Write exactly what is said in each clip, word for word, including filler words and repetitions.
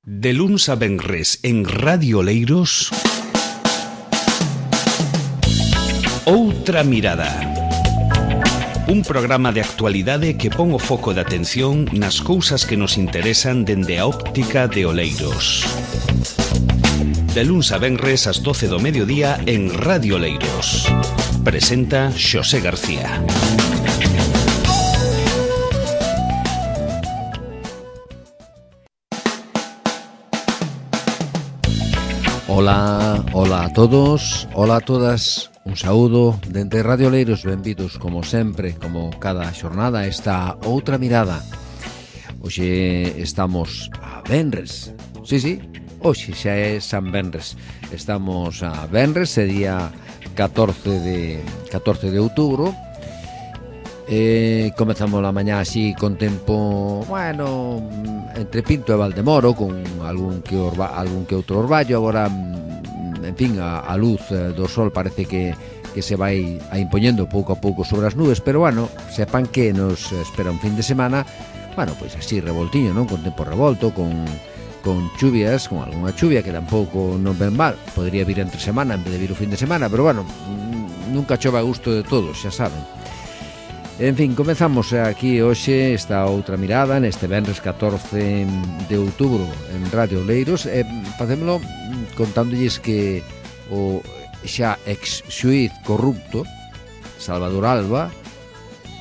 De luns a venres en Radio Oleiros, Outra Mirada. Un programa de actualidade que pon o foco de atención nas cousas que nos interesan dende a óptica de Oleiros. De luns a venres ás doce do mediodía en Radio Oleiros. Presenta Xosé García. Ola, ola a todos, ola a todas, un saúdo dende Radio Oleiros, benvidos como sempre, como cada xornada, esta Outra Mirada. Hoxe estamos a venres, sí, sí, hoxe xa é San Venres, estamos a venres, é día catorce de outubro, e comezamos a mañá así con tempo, bueno, entre Pinto e Valdemoro, con algún que, orba, algún que outro orballo. Agora, en fin, a, a luz do sol parece que, que se vai a impoñendo pouco a pouco sobre as nubes, pero bueno, sepan que nos espera un fin de semana, bueno, pois así revoltiño, non? Con tempo revolto, con, con chuvias, con algunha chuvia que tampouco non ven mal, podría vir entre semana en vez de vir o fin de semana, pero bueno, nunca chove a gusto de todos, xa saben. En fin, comezamos aquí hoxe esta Outra Mirada neste venres catorce de outubro en Radio Oleiros, e facémolo contándolles que o xa ex-xuíz corrupto Salvador Alba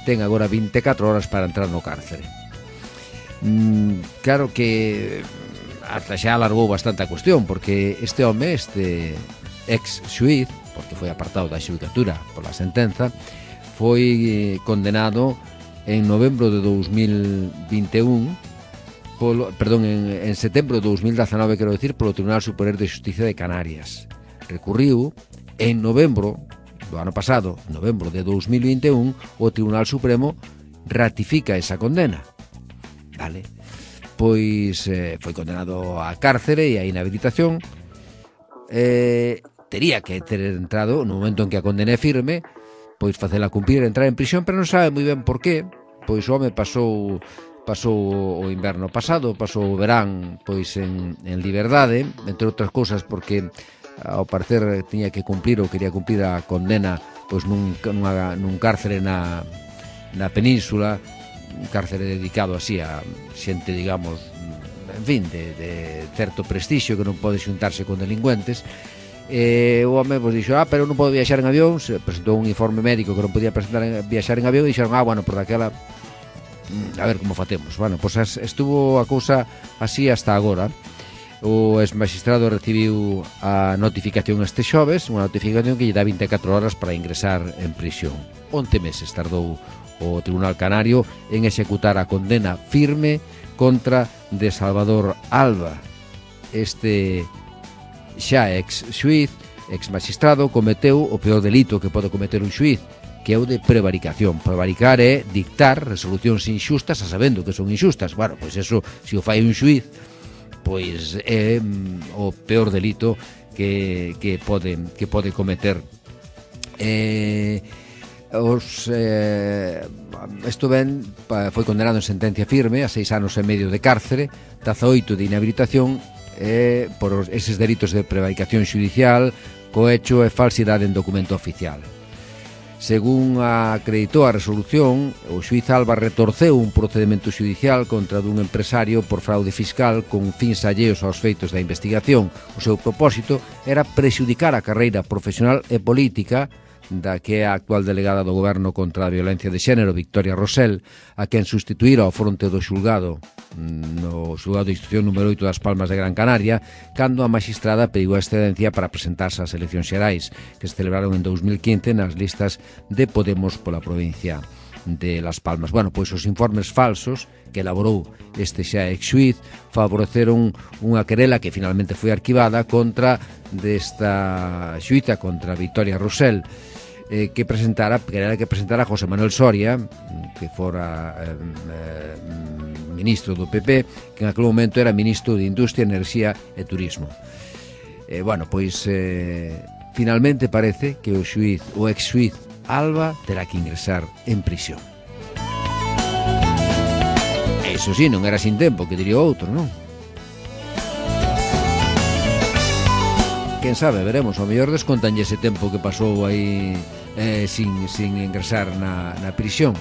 ten agora vinte e catro horas para entrar no cárcere. mm, Claro que ata xa alargou bastante a cuestión, porque este home, este ex-xuíz, porque foi apartado da xudicatura pola sentenza, foi condenado en novembro de dous mil vinte e un, polo, perdón, en, en setembro de dous mil dezanove, quero decir, polo Tribunal Superior de Xusticia de Canarias. Recurriu en novembro do ano pasado, novembro de dous mil vinte e un, o Tribunal Supremo ratifica esa condena. Vale? Pois eh, foi condenado a cárcere e a inhabilitación. Eh, tería que ter entrado no momento en que a condena é firme, pois facela cumprir, entrar en prisión, pero non sabe moi ben por qué. Pois o home pasou pasou o inverno pasado, pasou o verán pois en, en liberdade, entre outras cousas porque ao parecer tiña que cumprir ou quería cumprir a condena pois nun, nunha, nun cárcere na, na península, un cárcere dedicado así a xente, digamos, en fin, de, de certo prestixio, que non pode xuntarse con delincuentes. E o home pues, dixo, ah, pero non podo viaxar en avión. Se presentou un informe médico que non podía presentar en, viaxar en avión, e dixeron, ah, bueno, por daquela a ver como facemos. Bueno, pois pues, estuvo a cousa así hasta agora. O ex-magistrado recibiu a notificación este xoves, unha notificación que lle dá vinte e catro horas para ingresar en prisión. once meses tardou o Tribunal Canario en executar a condena firme contra de Salvador Alba. Este xa ex-xuíz, ex-magistrado, cometeu o peor delito que pode cometer un xuíz, que é o de prevaricación. Prevaricar é dictar resolucións inxustas a sabendo que son inxustas. Bueno, pois eso, se o fai un xuíz, pois é mm, o peor delito que, que, pode, que pode cometer. Eh, os, eh, isto ben, foi condenado en sentencia firme a seis anos e medio de cárcere, dezaoito de inhabilitación, eh, por eses delitos de prevaricación xudicial, cohecho e falsidade en documento oficial. Según acreditou a resolución, o xuíz Alba retorceu un procedimento xudicial contra dun empresario por fraude fiscal con fins alleos aos feitos da investigación. O seu propósito era prexudicar a carreira profesional e política da que é a actual delegada do Goberno contra a violencia de xénero, Victoria Rosell, a quen sustituíra ao fronte do xulgado, no xulgado de instrucción número oito das Palmas de Gran Canaria, cando a magistrada pediu a excedencia para presentarse ás eleccións xerais, que se celebraron en dous mil quince nas listas de Podemos pola provincia de Las Palmas. Bueno, pois os informes falsos que elaborou este xa ex-xuíz favoreceron unha querela que finalmente foi arquivada contra desta xuíza, contra Victoria Rosell, eh, que presentara, querela que presentara José Manuel Soria, que fora eh, eh, ministro do P P, que en aquel momento era ministro de Industria, Enerxía e Turismo. Eh, bueno, pois eh, finalmente parece que o xuíz, o ex-xuíz Alba terá que ingresar en prisión. Eso sí, non era sin tempo, que diría outro, non? quen sabe, veremos, ao mellor descontanlle ese tempo que pasou aí eh, sin, sin ingresar na, na prisión.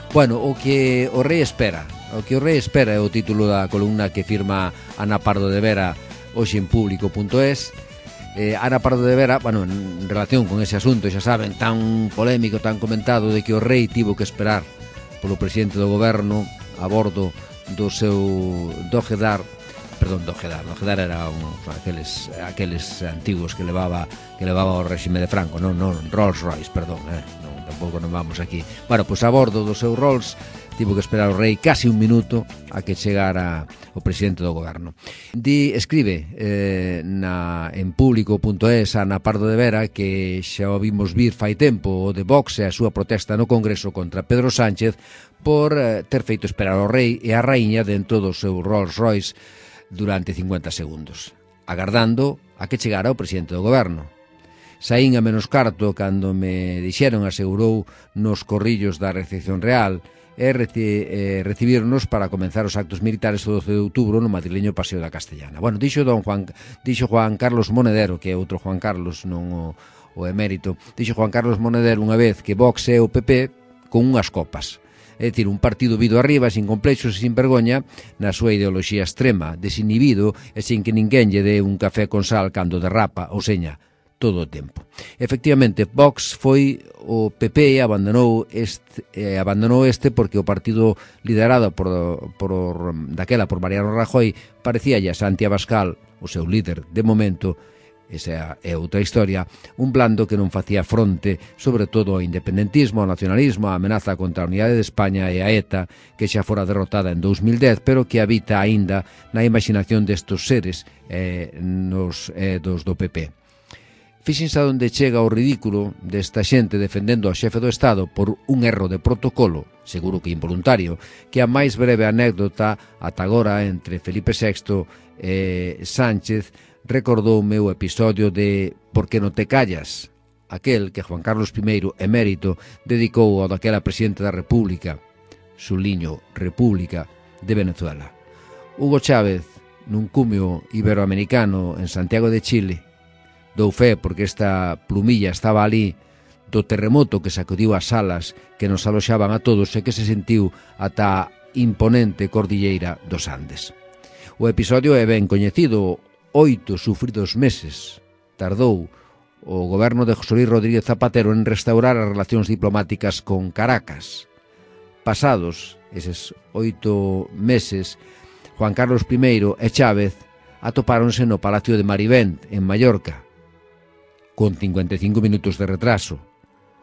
Bueno, o que o rei espera, o que o rei espera é o título da columna que firma Ana Pardo de Vera hoxe en público punto es. eh, Ana Pardo de Vera, bueno, en relación con ese asunto, xa saben, tan polémico, tan comentado, de que o rei tivo que esperar polo presidente do goberno a bordo do seu Dojedar, perdón, Dojedar, Dojedar era un, aqueles, aqueles antigos que levaba que levaba o réxime de Franco, non, non, Rolls Royce, perdón, eh, non, tampouco non vamos aquí. Bueno, pois a bordo do seu Rolls tivo que esperar o rei casi un minuto a que chegara o presidente do goberno. Di, escribe eh, na, en público punto es Ana Pardo de Vera que xa o vimos vir fai tempo o de Vox e a súa protesta no Congreso contra Pedro Sánchez por eh, ter feito esperar o rei e a raíña dentro do seu Rolls Royce durante cincuenta segundos, agardando a que chegara o presidente do goberno. Saín a menos carto cando me dixeron, asegurou nos corrillos da recepción real, e reci, eh, recibirnos para comenzar os actos militares o doce de outubro no madrileño Paseo da Castellana. Bueno, dixo don Juan, dixo Juan Carlos Monedero, que é outro Juan Carlos, non o, o emérito, dixo Juan Carlos Monedero unha vez que Vox é o P P con unhas copas. É dicir, un partido vido arriba, sin complexos e sin vergoña, na súa ideoloxía extrema, desinhibido e sin que ninguén lle dé un café con sal cando derrapa, ou seña, todo o tempo. Efectivamente, Vox foi o P P e abandonou este, eh, abandonou este porque o partido liderado por, por daquela por Mariano Rajoy parecíalle a Santi Abascal, o seu líder de momento, esa é outra historia, un blando que non facía fronte sobre todo ao independentismo, ao nacionalismo, a amenaza contra a unidade de España e a ETA, que xa fora derrotada en dous mil dez, pero que habita aínda na imaginación destos seres eh, nos eh, dos do P P. Fíxense a onde chega o ridículo desta xente defendendo ao xefe do Estado por un erro de protocolo, seguro que involuntario, que a máis breve anécdota ata agora entre Felipe sexto e Sánchez recordoume o episodio de Por que non te callas, aquel que Juan Carlos primeiro, emérito, dedicou ao daquela presidente da República, suliño, República, de Venezuela. Hugo Chávez, nun cumio iberoamericano en Santiago de Chile, dou fe porque esta plumilla estaba ali do terremoto que sacudiu as salas que nos aloxaban a todos e que se sentiu ata a imponente cordilleira dos Andes. O episodio é ben coñecido. Oito sufridos meses tardou o goberno de José Luis Rodríguez Zapatero en restaurar as relacións diplomáticas con Caracas. Pasados eses oito meses, Juan Carlos primeiro e Chávez atopáronse no Palacio de Marivent, en Mallorca, con cincuenta e cinco minutos de retraso,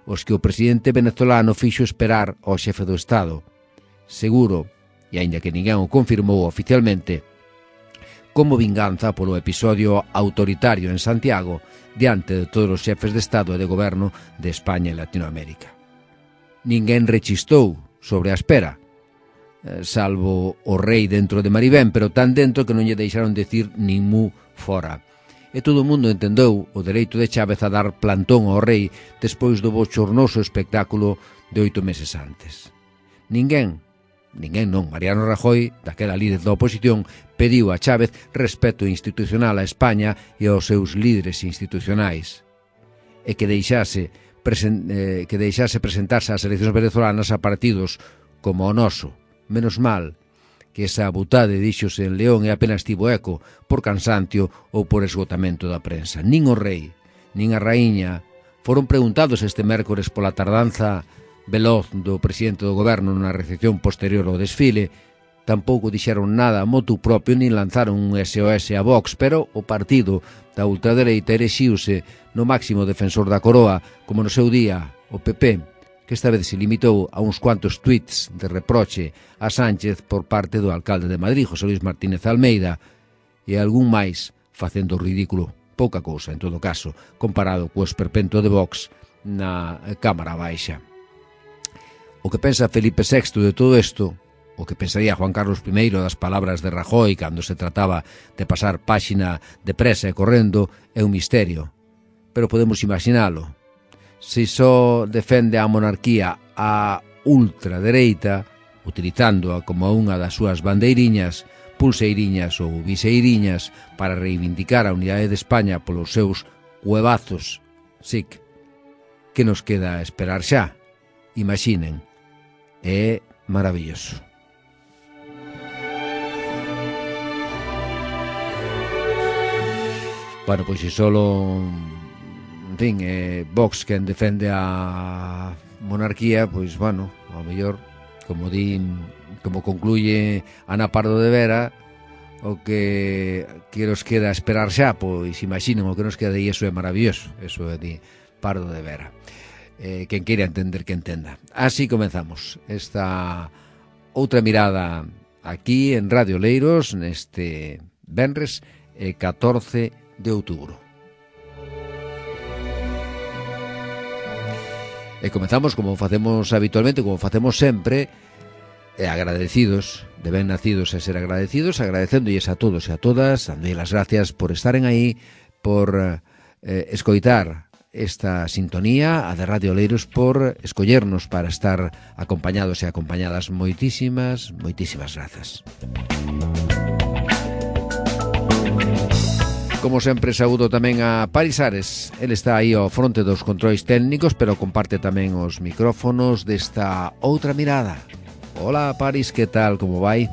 os que o presidente venezolano fixo esperar ao xefe do Estado, seguro, e aínda que ninguén o confirmou oficialmente, como vinganza polo episodio autoritario en Santiago diante de todos os xefes de Estado e de Goberno de España e Latinoamérica. Ninguén rechistou sobre a espera, salvo o rei dentro de Marivén, pero tan dentro que non lle deixaron decir nin mu fora. E todo o mundo entendeu o dereito de Chávez a dar plantón ao rei despois do bochornoso espectáculo de oito meses antes. Ninguén, ninguén non, Mariano Rajoy, daquela líder da oposición, pediu a Chávez respeto institucional a España e aos seus líderes institucionais, e que deixase, presen, eh, que deixase presentarse ás eleccións venezolanas a partidos como o noso. Menos mal que esa butade díxose en León e apenas tivo eco por cansancio ou por esgotamento da prensa. Nin o rei, nin a raíña foron preguntados este mércores pola tardanza veloz do presidente do goberno na recepción posterior ao desfile. Tampouco dixeron nada motu propio nin lanzaron un S O S a Vox, pero o partido da ultradereita erexiuse no máximo defensor da coroa, como no seu día o P P, que esta vez se limitou a uns cuantos tweets de reproche a Sánchez por parte do alcalde de Madrid, José Luis Martínez Almeida, e algún máis facendo ridículo, pouca cousa en todo caso, comparado co esperpento de Vox na Cámara Baixa. O que pensa Felipe sexto de todo isto, o que pensaría Juan Carlos primeiro das palabras de Rajoy cando se trataba de pasar páxina depresa e correndo, é un misterio, pero podemos imaginalo. Se só defende a monarquía a ultradereita, utilizándoa como unha das súas bandeiriñas, pulseiriñas ou viseiriñas para reivindicar a unidade de España polos seus huevazos, sí, que nos queda esperar xa. Imaginen, é maravilloso. Bueno, pois se solo, en fin, eh, Vox quen defende a monarquía, pois, bueno, ao mellor, como din, como concluye Ana Pardo de Vera, o que que nos queda esperar xa, pois imaginen o que nos queda, e iso é maravilloso, eso é de Pardo de Vera. Eh, quen queira entender que entenda. Así comenzamos esta outra mirada aquí en Radio Leiros neste venres eh, catorce de outubro. E comenzamos como facemos habitualmente, como facemos sempre, e agradecidos, de ben nacidos e ser agradecidos, agradecéndolles a todos e a todas, dándolle as gracias por estaren aí, por eh, escoitar esta sintonía, a de Radio Leiros, por escollernos para estar acompañados e acompañadas. Moitísimas, moitísimas grazas. Como sempre, saúdo tamén a Paris Ares. El está aí ao fronte dos controis técnicos, pero comparte tamén os micrófonos desta outra mirada. Hola, Paris, que tal, como vai?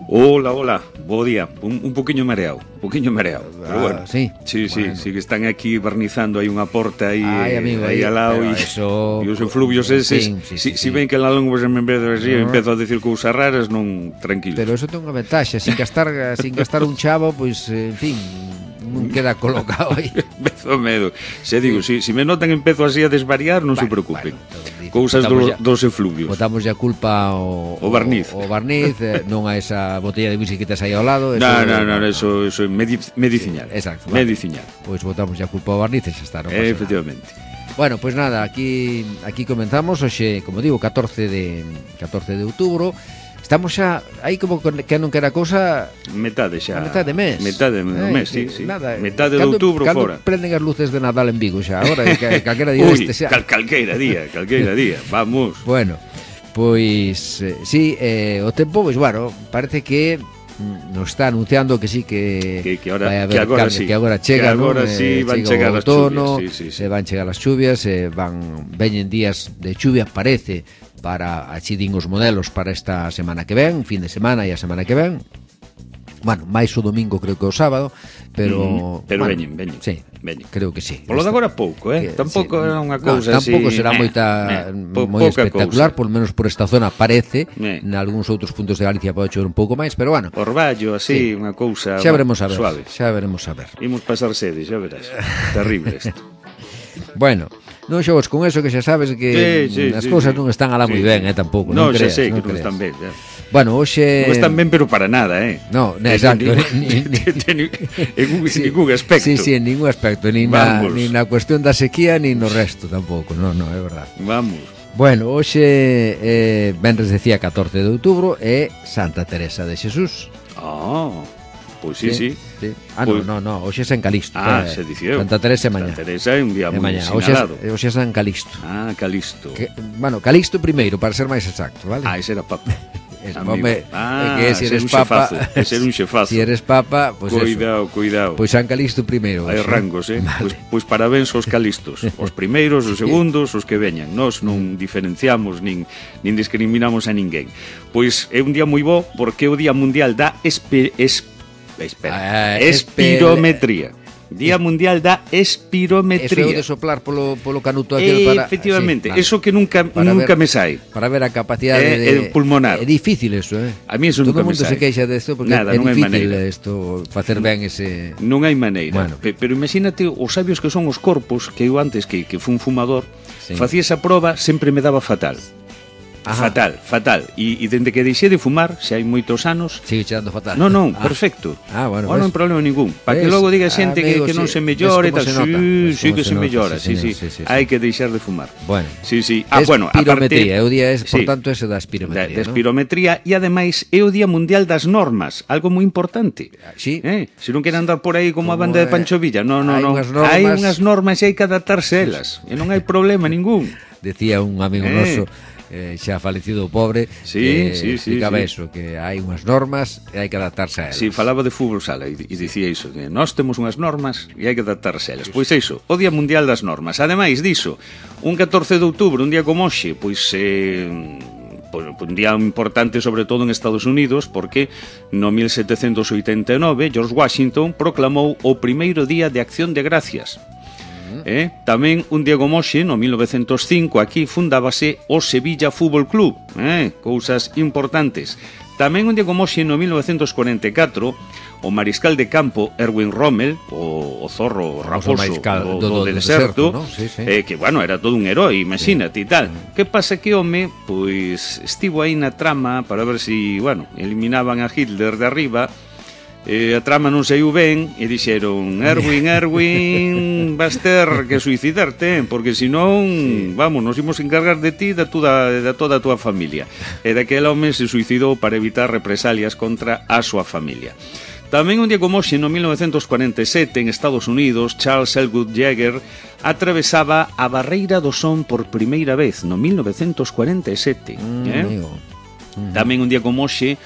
Hola, hola, bo día. Un, un poquinho mareado, un poquinho mareado. Ah, pero bueno, sí. Sí, sí, Bueno. sí, que están aquí barnizando aí unha porta aí, Ay, amigo, aí aí, al lado pero e, eso- e os efluvios eses. Sí, sí, si, sí, si sí. ven que la lengua se me empeza así, No. empezo a decir cousas raras, non, tranquilo. Pero eso ten unha ventaxa, sin gastar sin gastar un chavo, pois, en fin, non queda colocado aí. Empezo medo. Se digo, si, si me notan empezo así a desvariar, non se Bueno, preocupen. bueno, dice, Cousas botamos do, ya- dos efluvios. Botamos a culpa ao O barniz. O, o barniz, eh, non a esa botella de whisky que tes aí ao lado. Eso, No, no, no, eso, eso é medi medicinal. Sí, exacto, vale. Medicinal. Pois botamos a culpa ao barniz e xa está, non pasa Eh, nada. efectivamente. Bueno, pois nada, aquí aquí comenzamos hoxe, como digo, catorce de outubro. Estamos xa aí como con- que non quera cousa Metade xa. a metade de mes. Metade do Eh, mes, sí, que sí. Nada, Metade de cando- outubro cando fora. prenden as luces de Nadal en Vigo xa, agora que calquera día Uy, este xa. cal, calqueira día, calqueira día. Vamos. Bueno, pois eh, sí, eh, o tempo, pois bueno, parece que mm, nos está anunciando que sí que, Que- que ahora- vai haber que agora cambio, sí. que agora chega, Que agora non? sí van chega chegar o as outono, chuvias, sí, sí, sí. se van chegar as chuvias, se van veñen días de chuvia, parece, para así din os modelos para esta semana que ven, fin de semana e a semana que ven. Bueno, máis o domingo creo que o sábado, pero Mm, pero bueno, veñen, veñen, Sí, veñen. creo que sí. Polo de Esta- agora pouco, eh? que- Tampouco sí, era unha no, cousa así. tampouco será eh, moita eh, po- moi pouca espectacular, cousa. por lo menos por esta zona parece. Eh. En algúns outros puntos de Galicia pode chover un pouco máis, pero bueno, Orballo, Sí. así, unha cousa xa veremos a ver. suave. Xa veremos a ver. Imos pasar sede, xa verás. Terrible isto. Bueno, non xogues con eso, que xa sabes que Sí, sí, as sí, cousas sí. non están alá moi Sí. ben, eh, tampouco, No, non xa creas, sei non que non creas. están ben, xa. Bueno, hoxe Non están ben, pero para nada, eh? No, no, Eh, exacto, En, ni- ningún- ni- en un- Sí. ningún aspecto. Sí, sí, en ningún aspecto, ni na, Vamos. ni na cuestión da sequía, ni no resto tampouco, no, no, é verdad. Vamos. Bueno, hoxe eh, venres decía catorce de outubro é Santa Teresa de Xesús. Ah, pois sí, sí. sí. Ah, Pois- no, no, no, hoxe é San Calixto. Ah, eh, se dicía. Santa Teresa é mañá. Santa Teresa é un día É moi mañá. Hoxe sinalado. é, hoxe é San Calixto. Ah, Calisto. Que, bueno, Calixto primeiro, para ser máis exacto, vale? Ah, ese era papa. Es, amigo. home, Ah, é que se ser eres un papa, xefazo, é ser un xefazo. si eres papa, pois pues Cuidado, cuidado. Pois San Calixto primeiro. Hai hoxe. rangos, eh? Vale. Pois, pois parabéns aos calistos. Os primeiros, os segundos, os que veñan. Nós non diferenciamos nin, nin discriminamos a ninguén. Pois é un día moi bo porque é o Día Mundial da espe, es, espera, Ah, espe- espirometría. Día Mundial da Eso é o espirometría. de soplar polo, polo canuto aquel para... Efectivamente, sí, vale. eso que nunca Para nunca ver- me sai. Para ver a capacidade É- de... é pulmonar. É difícil eso, eh? A mí eso Todo nunca o me mundo se sai. queixa desto porque Nada, é non hai difícil maneira. isto, facer ben ese... Non hai maneira. Bueno. Pe- Pero imagínate os sabios que son os corpos, que eu antes que, que fui un fumador, Sí. facía esa proba, sempre me daba fatal. Ajá. Fatal, fatal. E, e dende que deixei de fumar, xa hai moitos anos, Sigue chegando fatal. non, non, Ah. perfecto. Ah, bueno, non ves. hai problema ningún. Para que Ves, logo diga xente que, amigo, que non sí. se mellora Ves e como tal. se nota, Sí, ves sí como que se se nota, mellora, sí, sí, sí. señor, sí, sí, sí. Hai que deixar de fumar. Bueno. Sí, sí. Ah, bueno, a Espirometría, parte... é o día, es, por Sí. tanto, ese da Da, espirometría, da ¿no? espirometría e ademais é o Día Mundial das Normas, algo moi importante. Sí. Eh, se non queren andar por aí como, Como a banda é, de Pancho Villa, no, no, hai no. unhas normas- Hai unhas normas e hai que adaptarse a elas, e non hai problema ningún. Decía un amigo Eh. noso eh, xa falecido o pobre, sí, eh, sí, explicaba sí, eso, que hai unhas normas e hai que adaptarse a elas. Si, sí, falaba de fútbol sala e, e dicía iso, que nós temos unhas normas e hai que adaptarse a elas. Pois é iso, o Día Mundial das Normas. Ademais diso, un catorce de outubro, un día como hoxe, pois eh, un día importante sobre todo en Estados Unidos, porque no mil setecentos oitenta e nove George Washington proclamou o primeiro día de Acción de Gracias. Eh? Tamén un día como hoxe, no mil novecentos cinco, aquí fundábase o Sevilla Fútbol Club, eh? Cousas importantes. Tamén un día como hoxe, no mil novecentos cuarenta e catro, o mariscal de campo Erwin Rommel, o, o zorro raposo do, do, do, do deserto, ¿no? Sí, sí. Eh, que, bueno, era todo un herói, imagínate, sí. E tal. Que pasa que, home, pois estivo aí na trama para ver se, si, bueno, eliminaban a Hitler de arriba. Eh, a trama non saiu ben e dixeron: Erwin, Erwin, vas ter que suicidarte, porque senón, sí. vamos, nos imos encargar de ti e da, da toda a tua familia. E daquel home se suicidou para evitar represalias contra a súa familia. Tamén un día como hoxe, no mil novecentos cuarenta e sete, en Estados Unidos, Charles Elwood Jagger atravesaba a Barreira do Son por primeira vez, no mil novecentos cuarenta e sete. Mm, eh? mm. Tamén un día como hoxe,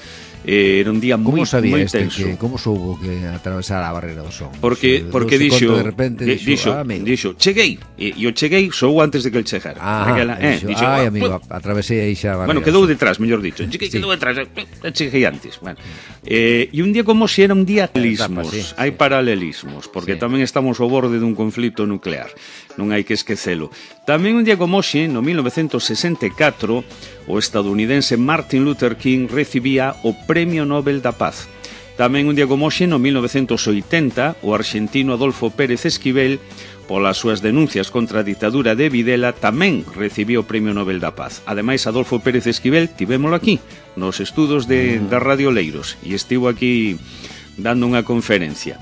Eh, era un día moi, moi este tenso. Que, como soubo que atravesar a Barreira do Son? Porque, se, porque dixo, de repente dixo, dixo, ah, dixo, cheguei, e, e o cheguei sou antes de que el chegara. Ah, Aquela, eh, dixo, dixo, ai, ah, amigo, pues, atravesei aí xa a Barreira. Bueno, quedou detrás, mellor dicho. Cheguei, sí. Quedou detrás, eh, cheguei antes. Bueno, eh, e un día como se era un día paralelismos, sí, hai sí. paralelismos, porque sí. tamén estamos ao borde dun conflito nuclear. Non hai que esquecelo. Tamén un día como hoxe, no mil novecentos sesenta e catro, o estadounidense Martin Luther King recibía o Premio Nobel da Paz. Tamén un día como hoxe, no mil novecentos oitenta, o arxentino Adolfo Pérez Esquivel, polas súas denuncias contra a ditadura de Videla, tamén recibiu o Premio Nobel da Paz. Ademais, Adolfo Pérez Esquivel tivémolo aquí, nos estudos de, da Radio Leiros, e estivo aquí dando unha conferencia.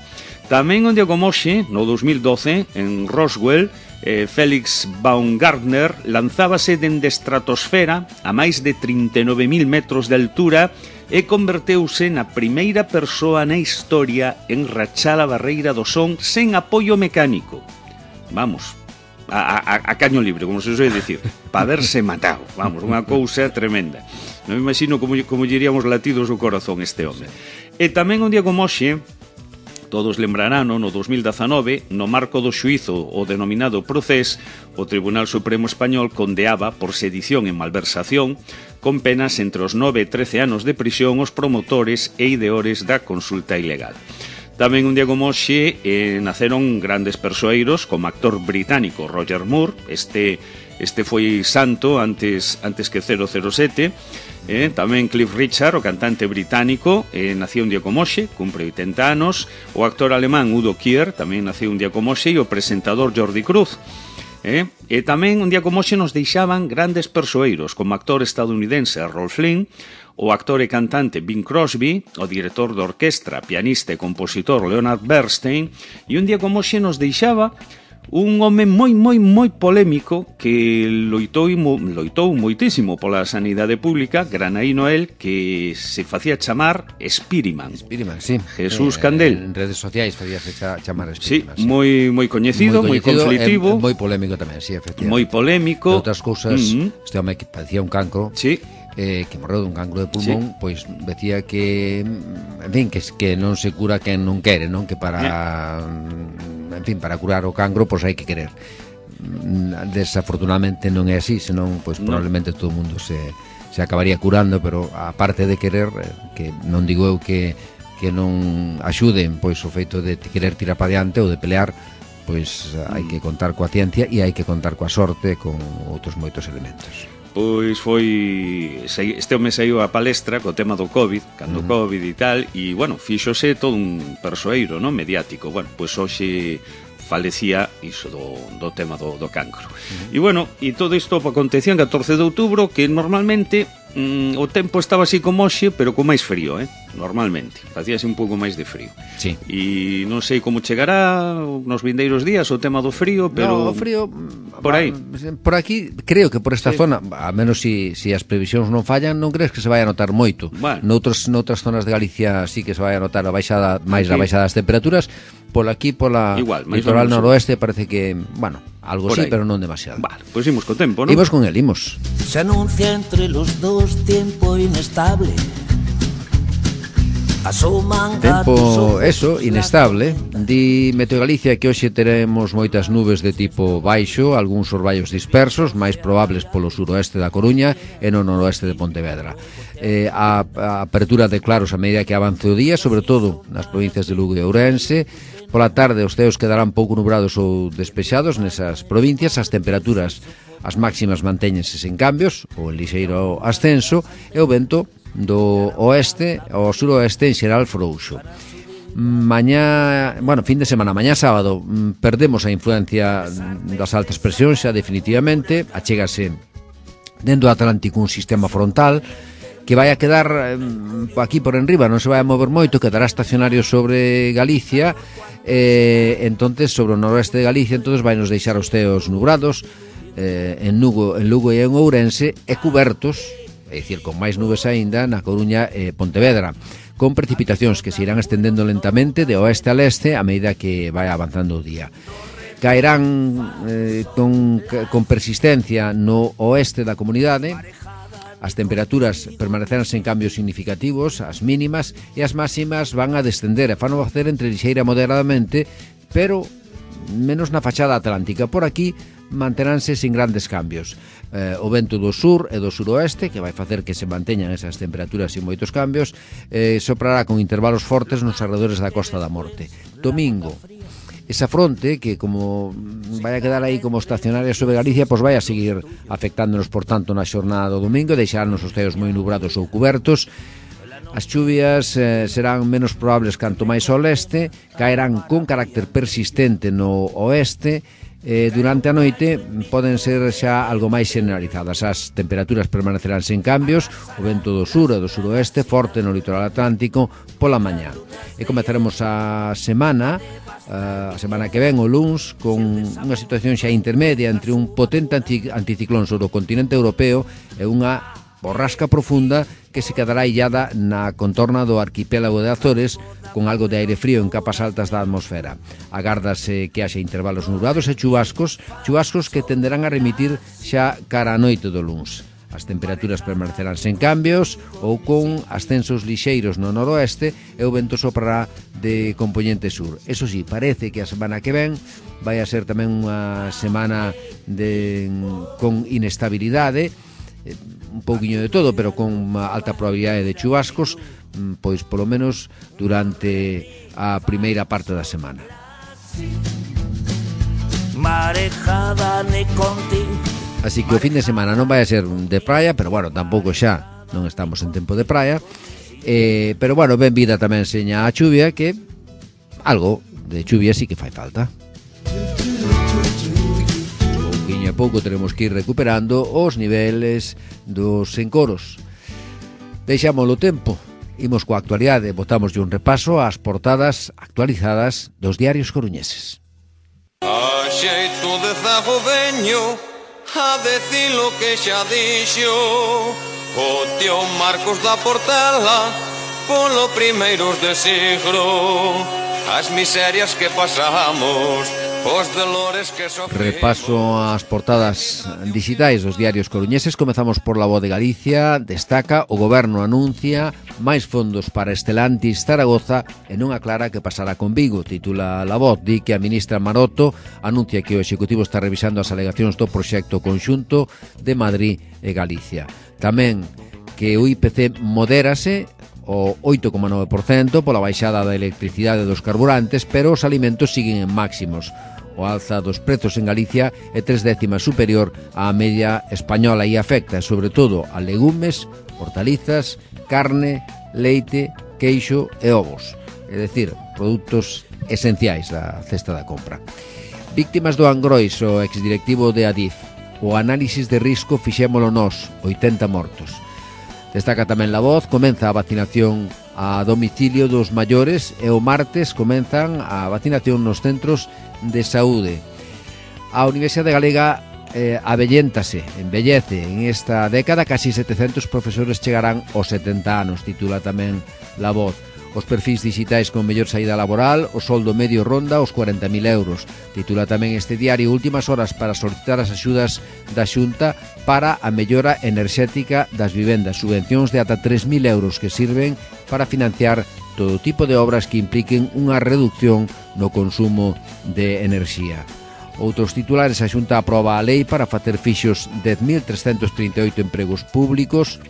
Tamén un día como hoxe, no dos mil doce, en Roswell, eh, Félix Baumgartner lanzábase dende estratosfera a máis de trinta e nove mil metros de altura e converteuse na primeira persoa na historia en rachar a Barreira do Son sen apoio mecánico. Vamos, a, a, a caño libre, como se soe dicir, para haberse matado. Vamos, unha cousa tremenda. Non me imagino como, como diríamos latidos o corazón este home. E tamén un día como hoxe, todos lembrarán, no dos mil dezanove, no marco do xuízo o denominado Procés, o Tribunal Supremo Español condeaba por sedición e malversación con penas entre os nove e trece anos de prisión os promotores e ideores da consulta ilegal. Tamén un día como hoxe eh, naceron grandes persoeiros como actor británico Roger Moore, este, este foi santo antes, antes que cero cero sete. Eh, tamén Cliff Richard, o cantante británico, eh, nació un día como hoxe, cumpre oitenta anos. O actor alemán Udo Kier tamén nació un día como hoxe, e o presentador Jordi Cruz. Eh? E tamén un día como hoxe nos deixaban grandes persoeiros, como actor estadounidense Rolf Flynn, o actor e cantante Bing Crosby, o director de orquestra, pianista e compositor Leonard Bernstein, e un día como hoxe nos deixaba un home moi, moi, moi polémico que loitou, loitou moitísimo pola sanidade pública, Granaí Noel, que se facía chamar Spiriman. Spiriman, sí. Jesús eh, Candel. En redes sociais facíase chamar Spiriman. Sí, sí. moi moi coñecido, moi conflitivo. Moi polémico tamén, sí, efectivamente. Moi polémico. De outras cousas, uh-huh. este home que padecía un cancro. Sí. Eh, que morreu dun cancro de pulmón, sí. Pois decía que, en fin, que, que non se cura quen non quere, non? Que para, yeah. en fin, para curar o cancro, pois hai que querer. Desafortunadamente non é así, senón, pois no. probablemente todo o mundo se, se acabaría curando, pero a parte de querer, que non digo eu que, que non axuden, pois o feito de querer tirar para diante ou de pelear, pois hai que contar coa ciencia e hai que contar coa sorte, con outros moitos elementos. Pois foi, este home saiu a palestra co tema do COVID, cando uh -huh. COVID e tal, e, bueno, fíxose todo un persoeiro, non, mediático. Bueno, pois hoxe falecía iso do, do tema do, do cancro. Uh -huh. E, bueno, e todo isto acontecía en catorce de outubro, que normalmente mm, o tempo estaba así como hoxe, pero con máis frío, eh? Normalmente, facíase un pouco máis de frío. Sí. E non sei como chegará nos vindeiros días o tema do frío, pero... No, o frío... Por aí. Por aquí, creo que por esta sí. zona, a menos si, si as previsións non fallan, non crees que se vai a notar moito. Bueno. Noutros, noutras zonas de Galicia sí que se vai a notar a baixada, máis a baixada das temperaturas. Por aquí, pola Igual, litoral noroeste, parece que, bueno, algo Por sí, aí. pero non demasiado. Vale, pois imos co tempo, non? Imos con el, imos. Se anuncia entre los dos tiempo inestable. Asoman Tempo, eso, inestable. Di Meteo Galicia que hoxe teremos moitas nubes de tipo baixo, algúns orballos dispersos, máis probables polo suroeste da Coruña e no noroeste de Pontevedra. Eh, a, a apertura de claros a medida que avance o día, sobre todo nas provincias de Lugo e Ourense. Pola tarde os ceos quedarán pouco nubrados ou despexados nesas provincias, as temperaturas as máximas mantéñense sen cambios ou en lixeiro ascenso e o vento do oeste ao suroeste en xeral frouxo. Mañá, bueno, fin de semana, mañá sábado perdemos a influencia das altas presións xa definitivamente, achégase dentro do Atlántico un sistema frontal que vai a quedar eh, aquí por enriba, non se vai a mover moito, quedará estacionario sobre Galicia, eh, entonces sobre o noroeste de Galicia, entonces vai nos deixar os ceos nubrados eh, en Lugo, en Lugo e en Ourense e cubertos, é dicir, con máis nubes aínda na Coruña e Pontevedra, con precipitacións que se irán estendendo lentamente de oeste a leste a medida que vai avanzando o día. Caerán eh, con, con persistencia no oeste da comunidade. As temperaturas permanecerán sen cambios significativos, as mínimas e as máximas van a descender e fan o facer entre lixeira moderadamente, pero menos na fachada atlántica. Por aquí manteránse sin grandes cambios. Eh, o vento do sur e do suroeste, que vai facer que se manteñan esas temperaturas sin moitos cambios, eh, soprará con intervalos fortes nos arredores da Costa da Morte. Domingo, esa fronte que como vai a quedar aí como estacionaria sobre Galicia, pois vai a seguir afectándonos, por tanto, na xornada do domingo, deixarnos os ceos moi nubrados ou cubertos. As chuvias eh, serán menos probables canto máis ao leste, caerán con carácter persistente no oeste. Eh, durante a noite poden ser xa algo máis generalizadas. As temperaturas permanecerán sen cambios, o vento do sur e do suroeste forte no litoral atlántico pola mañá. E comezaremos a semana a semana que ven, o luns, con unha situación xa intermedia entre un potente anticiclón sobre o continente europeo e unha borrasca profunda que se quedará illada na contorna do arquipélago de Azores, con algo de aire frío en capas altas da atmosfera. Agárdase que haxa intervalos nubrados e chubascos, chubascos que tenderán a remitir xa cara a noite do luns. As temperaturas permanecerán sen cambios ou con ascensos lixeiros no noroeste e o vento soprará de compoñente sur. Eso sí, parece que a semana que ven vai a ser tamén unha semana de, con inestabilidade, un pouquiño de todo, pero con unha alta probabilidade de chubascos, pois polo menos durante a primeira parte da semana. Marejada ne conti. Así que o fin de semana non vai a ser de praia, pero bueno, tampouco xa non estamos en tempo de praia, eh, pero bueno, ben vida tamén seña a chuvia, que algo de chuvia sí que fai falta. Pouquiño a pouco teremos que ir recuperando os niveles dos encoros. Deixámoslo tempo, imos coa actualidade, botamos un repaso ás portadas actualizadas dos diarios coruñeses. A xeito de zago veño a decir lo que xa dixo o tío Marcos da Portela polo primeiros de siglo, as miserias que pasamos, os dolores que sofrimos. Repaso ás portadas digitais dos diarios coruñeses. Comezamos por La Voz de Galicia. Destaca: o goberno anuncia máis fondos para Estelantis Zaragoza e non aclara que pasará con Vigo. Titula La Voz. Di que a ministra Maroto anuncia que o Executivo está revisando as alegacións do proxecto conxunto de Madrid e Galicia. Tamén que o I P C modérase o oito coma nove por cento pola baixada da electricidade e dos carburantes, pero os alimentos siguen en máximos. O alza dos prezos en Galicia é tres décimas superior á media española e afecta, sobre todo, a legumes, hortalizas, carne, leite, queixo e ovos. É dicir, produtos esenciais da cesta da compra. Víctimas do Angrois, o exdirectivo de Adif. O análisis de risco fixémolo nós, oitenta mortos. Destaca tamén La Voz, comeza a vacinación a domicilio dos maiores e o martes comenzan a vacinación nos centros de saúde. A Universidade Galega eh, avelléntase, embellece. En esta década casi setecentos profesores chegarán aos setenta anos, titula tamén La Voz. os perfis digitais con mellor saída laboral, o soldo medio ronda os cuarenta mil euros. Titula tamén este diario últimas horas para solicitar as axudas da Xunta para a mellora enerxética das vivendas, subvencións de ata tres mil euros que sirven para financiar todo tipo de obras que impliquen unha reducción no consumo de enerxía. Outros titulares: a Xunta aproba a lei para facer fixos dez mil trescentos trinta e oito empregos públicos.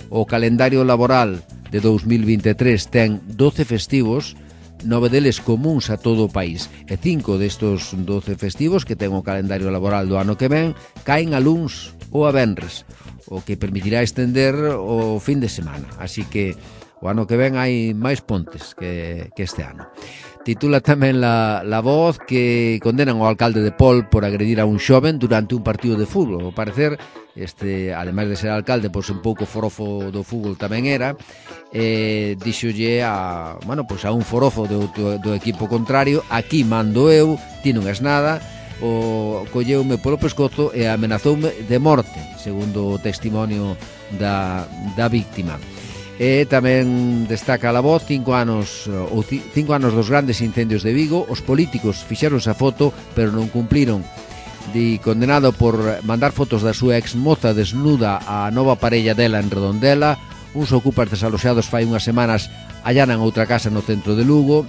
O calendario laboral de dous mil vinte e tres ten doce festivos, nove deles comuns a todo o país, e cinco destos doce festivos que ten o calendario laboral do ano que ven caen a luns ou a venres, o que permitirá estender o fin de semana. Así que o ano que ven hai máis pontes que, que este ano. Titula tamén la, la Voz que condenan ao alcalde de Pol por agredir a un xoven durante un partido de fútbol. Ao parecer, este, ademais de ser alcalde, pois un pouco forofo do fútbol tamén era, eh, dixolle a, bueno, pois a un forofo do, do, do equipo contrario: aquí mando eu, ti non és nada. O colleume polo pescozo e amenazoume de morte, segundo o testimonio da, da víctima. E tamén destaca a Voz cinco anos ou cinco anos dos grandes incendios de Vigo. Os políticos fixeronse a foto pero non cumpliron. Di condenado por mandar fotos da súa exmoza desnuda a nova parella dela en Redondela. Uns ocupas desaloxados fai unhas semanas allanan outra casa no centro de Lugo.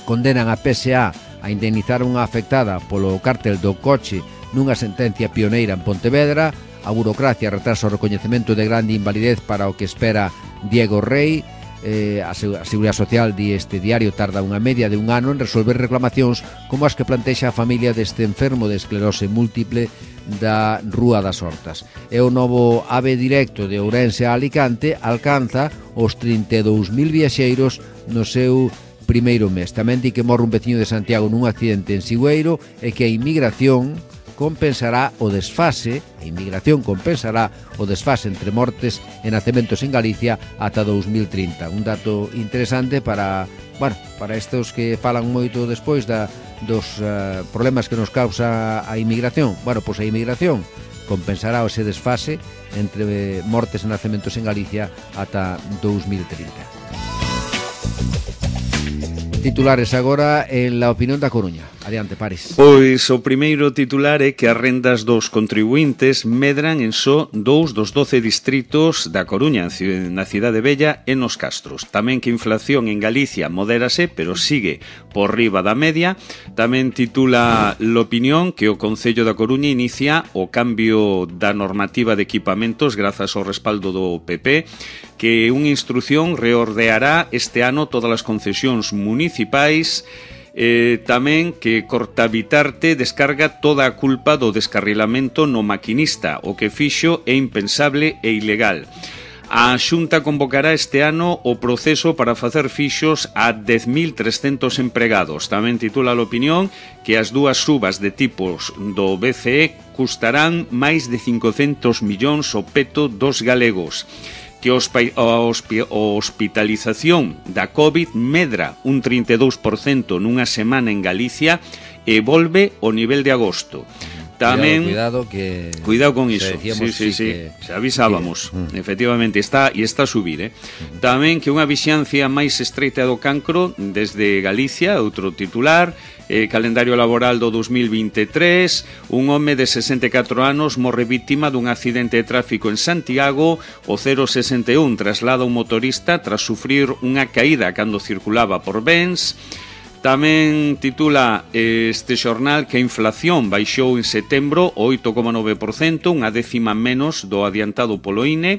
Condenan a P S A a indemnizar unha afectada polo cártel do coche nunha sentencia pioneira en Pontevedra. A burocracia retrasa o recoñecemento de grande invalidez para o que espera Diego Rey. eh, a Seguridade Social, di este diario, tarda unha media de un ano en resolver reclamacións como as que plantexa a familia deste enfermo de esclerose múltiple da Rúa das Hortas. E o novo AVE directo de Ourense a Alicante alcanza os trinta e dous mil viaxeiros no seu primeiro mes. Tamén di que morre un veciño de Santiago nun accidente en Sigüeiro e que a inmigración compensará o desfase, a inmigración compensará o desfase entre mortes e nacementos en Galicia ata dous mil trinta. Un dato interesante para, bueno, para estes que falan moito despois da, dos uh, problemas que nos causa a inmigración. Bueno, pois a inmigración compensará ese desfase entre mortes e nacementos en Galicia ata dous mil trinta. Titulares agora en La Opinión da Coruña. Adiante, Paris. Pois o primeiro titular é que as rendas dos contribuintes medran en só dous dos doce distritos da Coruña, na Cidade Vella e nos Castros. Tamén que a inflación en Galicia modérase, pero sigue por riba da media. Tamén titula L'Opinión que o Concello da Coruña inicia o cambio da normativa de equipamentos grazas ao respaldo do P P, que unha instrucción reordeará este ano todas as concesións municipais. Eh, tamén que Cortabitarte descarga toda a culpa do descarrilamento no maquinista, o que fixo é impensable e ilegal. A Xunta convocará este ano o proceso para facer fixos a dez mil trescentos empregados. Tamén titula a Opinión que as dúas subas de tipos do B C E custarán máis de cincocentos millóns o peto dos galegos, que a hospitalización da COVID medra un trinta e dous por cento nunha semana en Galicia e volve ao nivel de agosto. Tamén cuidado, cuidado que cuidado con iso. Sí, sí, sí, sí. Que... Se avisábamos. Que... Efectivamente está e está a subir, eh. Uh-huh. Tamén que unha vixiancia máis estreita do cancro desde Galicia, outro titular. Eh, calendario laboral do dos mil vinte e tres, un home de sesenta e catro anos morre vítima dun accidente de tráfico en Santiago. O cero sesenta e un traslada un motorista tras sufrir unha caída cando circulaba por Bens. Tamén titula este xornal que a inflación baixou en setembro oito coma nove por cento, unha décima menos do adiantado polo I N E.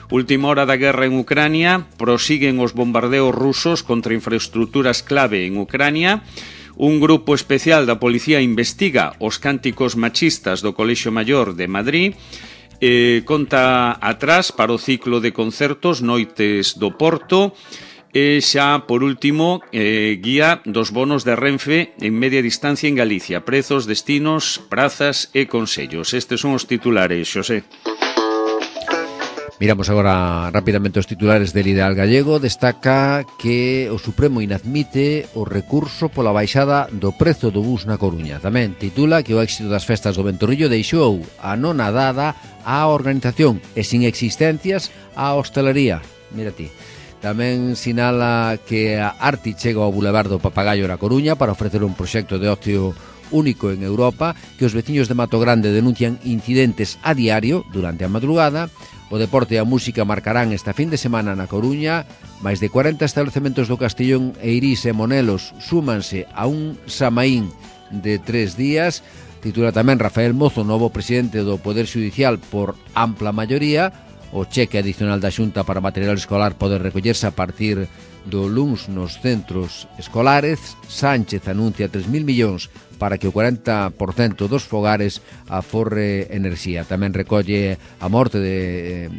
Última hora da guerra en Ucrania, prosiguen os bombardeos rusos contra infraestructuras clave en Ucrania. Un grupo especial da policía investiga os cánticos machistas do Colexio Maior de Madrid. Eh, conta atrás para o ciclo de concertos Noites do Porto. E xa, por último, eh, guía dos bonos de Renfe en media distancia en Galicia. Prezos, destinos, prazas e consellos. Estes son os titulares, Xosé. Miramos agora rapidamente os titulares del Ideal Gallego. Destaca que o Supremo inadmite o recurso pola baixada do prezo do bus na Coruña. Tamén titula que o éxito das festas do Ventorrillo deixou anonadada a organización e sin existencias a hostelería. Mira ti. Tamén sinala que a Arti chega ao Boulevard do Papagayo na Coruña para ofrecer un proxecto de ocio único en Europa, que os veciños de Mato Grande denuncian incidentes a diario durante a madrugada. O deporte e a música marcarán esta fin de semana na Coruña. Máis de cuarenta establecementos do Castellón, Eirís e Monelos súmanse a un Samaín de tres días. Titula tamén Rafael Mozo, novo presidente do Poder Xudicial por ampla maioría. O cheque adicional da Xunta para material escolar pode recollerse a partir do luns nos centros escolares. Sánchez anuncia tres mil millóns para que o cuarenta por cento dos fogares aforre enerxía. Tamén recolle a morte de eh,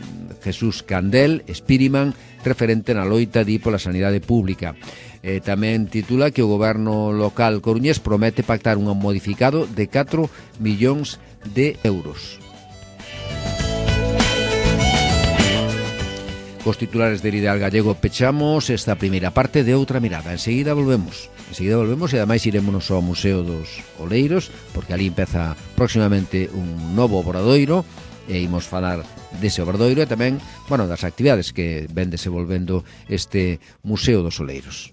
Jesús Candel, Spiriman, referente na loita di pola sanidade pública. Eh, tamén titula que o goberno local coruñés promete pactar un modificado de catro millóns de euros. Cos titulares del Ideal Gallego pechamos esta primeira parte de Outra Mirada. Enseguida volvemos. Enseguida volvemos e ademais iremos ao Museo dos Oleiros, porque ali empeza próximamente un novo obradoiro e imos falar dese obradoiro e tamén, bueno, das actividades que ven desenvolvendo este Museo dos Oleiros.